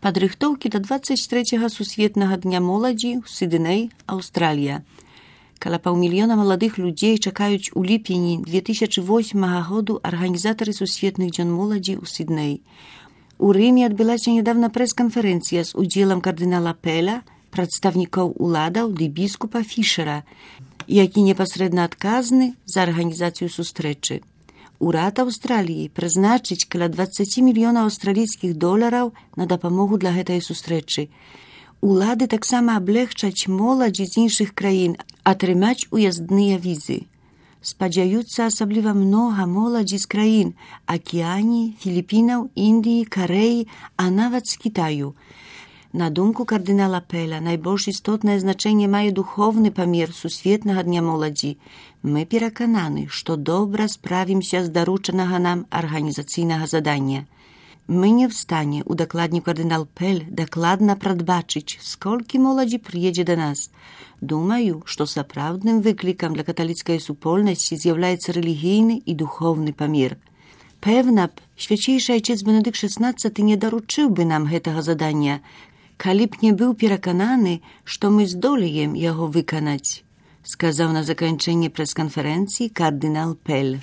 Падрыхтоўкі да 23-го сусветнага дня моладзі ў Сідней, Аўстралія. Каля паўмільёна маладых людзей чакаюць у ліпені 2008 году арганізатары сусветных дзён моладзі ў Сідней. У Рыме адбылася нядаўна прэс-канферэнцыя з удзелам кардынала Пэля, прадстаўнікоў уладаў ды біскупа Фішера, які непасрэдна адказны за арганізацыю сустрэчы. Урад Аўстраліі прызначыць каля 20 мільёнаў аўстралійскіх долараў на дапамогу для гэтай сустрэчы. Улады таксама аблегчаць моладзі з іншых краін атрымаць уяздныя візы. Спадзяюцца асабліва многа моладзі з краін Акіяніі, Філіпінаў, Індыі, Карэі, а нават з Кітаю. На думку кардынала Пэля, найбольш істотнае значэнне мае духовны памер сусветнага дня моладзі. Мы перакананы, што добра справімся з даручанага нам арганізацыйнага задання. Мы не в стане, удакладніў кардынал Пэль, дакладна прадбачыць, сколькі моладзі прыедзе да нас. Думаю, што сапраўдным выклікам для каталіцкай супольнасці з'яўляецца рэлігійны і духовны памер. Пэўна б, свячэйшы айцец Бенедыкт XVI не даручыў бы нам гэтага задання, калі б не быў перакананы, што мы здолеем яго выканаць, сказаў на заканчэнні прэс-канферэнцыі кардынал Пэль.